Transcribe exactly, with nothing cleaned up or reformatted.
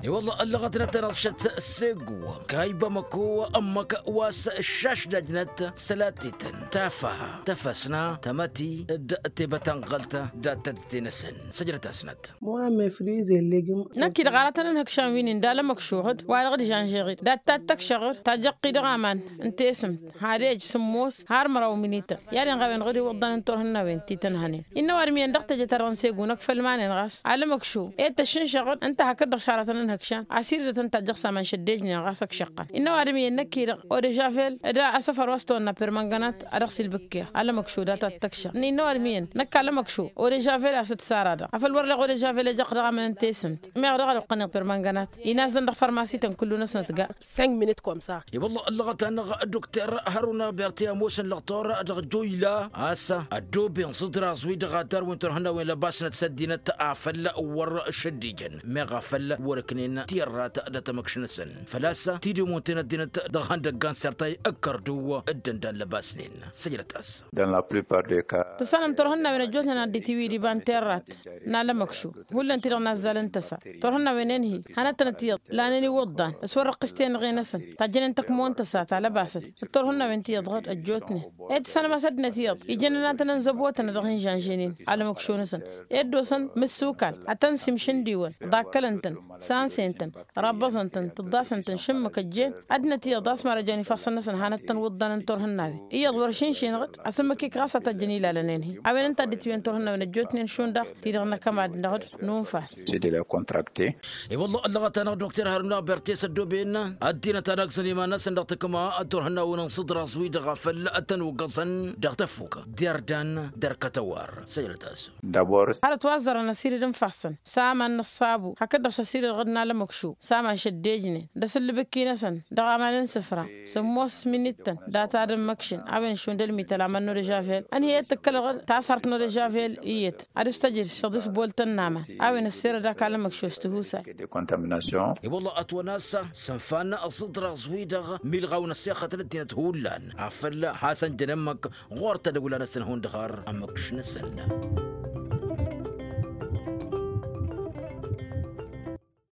I-wălla ăllăɣătnăt-anăɣ šăt s-egg-wăn kayba măko ămmăk wa s-šašdajnăt sălatetăn tafaha tăfăsna tămăti d-tebătănɣălt dat-tădte-năsăn. Săjdăt-asnăt. Năkk-i-dăɣ aratăn ǝnhǝkšan wi-nin d-alămăkšuɣ-dd wa-dăɣ d-žănžeɣ-dd dat-tattăkšăɣ-dd tajjăɣ-t-i dăɣ-aman n-tesǝmt had-ej sǝmmos har măraw minităn i-ad-inɣa a-wen-dăɣ d-iwǝḍḍan n-turhǝnnawen ti tăn-hănen. Innă ăwadǝm iyyăn dăɣ-teje-ta-dăɣ n-segu năkk făll-iman-en ɣas alămăkšu ed tăššǝnšăɣ-dd ǝnta hakd-dăɣ šaratăn ǝnhǝkšan asir-dăɣ tăn-tajjăɣ s-aman šăddejnen ɣas ăkšăqqăn. Innă ăwadǝm iyyăn năkk-i-dăɣ odežavel d-asăfăr wa s-tăwănna permănganat a dăɣ-s ilbǝkkeɣ alămăkšu dat-attăkšăɣ. Innă ăwadǝm iyyăn năkk alămăkšu odežavel a-s dd-sara-dăɣ afăl wăr leɣ odežavel ejăɣ-t dăɣ-amăn n-tesǝmt meɣ dăɣ-ad-oqqăneɣ permănganat inazzăn dăɣ-fărmasi-tăn kullu-năsnăt ga. Cinq minutes comme ça. I-wălla ăllăɣăt-anăɣ dukter hăruna berti ămoosăn lăɣtor dăɣ-joyla a-s ăddooben s-ǝḍraẓ-wi-dăɣ ad-tarwen turhǝnnawen lăbasnăt s-ăddinăt afăl wăr-šăddijăn meɣ afăl wăr-ǝknen tiyărrat dăɣ-tamăkš-năsăn făl-a-s tidǝm wǝnten ăddinăt dăɣ-ihăndăggan sertay ǝkkăr-dăw dd-ǝndan lăbasnen. Săjdăt-as. Tǝssanăm turhǝnnawen ăjjootnen ad-dd-itiwǝy d-iba n-terrat n-alămăkšu hullan-ti-dăɣ nazzal n-tăsa turhǝnnawen-en-hi hanăt-tănăt iyyăḍ lanen iwǝḍḍan s-wăr-ăqqǝs tenɣe-năsăn tajjănen tăkmon tăsa ta lăbasăt d-turhǝnnawen ti iyyăḍ ɣǝd ăjjootnen ed tǝssanăm a-s ăddinăt iyyăḍ ijăn ănatăn ănzăbotăn a dăɣ-hin-žănžăynen alămăkšo-năsăn ed dd-osăn mǝssukal ad-tăn-simšǝndiwăn ḍakkălăn-tăn sansen-tăn rabbăẓăn-tăn tǝḍḍasăn-tăn šǝmmǝk ăjjeen ăddinăt iyyăḍ a-s marăjăn ifassăn-năsăn hanăt-tăn wǝḍḍan n-turhǝnnawen iyyăḍ wăr šǝnšenăɣ-dd asǝmmǝk ikrasat ăjjăn ilalăn-en-hi a-wen ǝnta dd-itwǝyăn turhǝnnawen ăjjootnen šund-dăɣ ti-dăɣ n-akămad-năɣ d-nunfas. I-wălla ăllăɣăt-anăɣ dokter haruna bertes ăddooben ăddinăt ad-agzăn iman-năsăn dăɣ-takǝma d-turhǝnnawen n-sǝḍraẓ-wi-dăɣ a făl tăn-uggăẓăn dăɣ-tăfuk d-irdan d-ărkăt ăwarr. Săjdăt-as. Hărăt wa ăzzărăn ăsirid n-ifassăn s-aman n-ăṣṣabu hakd-dăɣ s-ăsirid ɣǝd n-alămăkšu s-aman šăddejnen d-asǝllǝbǝkki-năsăn dăɣ-aman n-isǝfra sǝmmos minittăn data d-ǝmmǝkšǝn a-wen šund ălmităl aman n-odežavel ănhǝyăt tǝkkălăɣ-dd tashărt n-odežavel iyyăt ad-dăɣ-s tăjjăd šăḍis boltăn n-aman a-wen ăssirăd ak alămăkšos tihusay. I-wălla ătwănna a-s sănfan ăẓǝḍraẓ-wi-dăɣ milɣaw n-ăssexăt n-ăddinăt hullan afăl hasăn-jăn ǝmmǝk ɣur-tadăwla-năsăn hundăɣ har ămmǝkš-năsăn.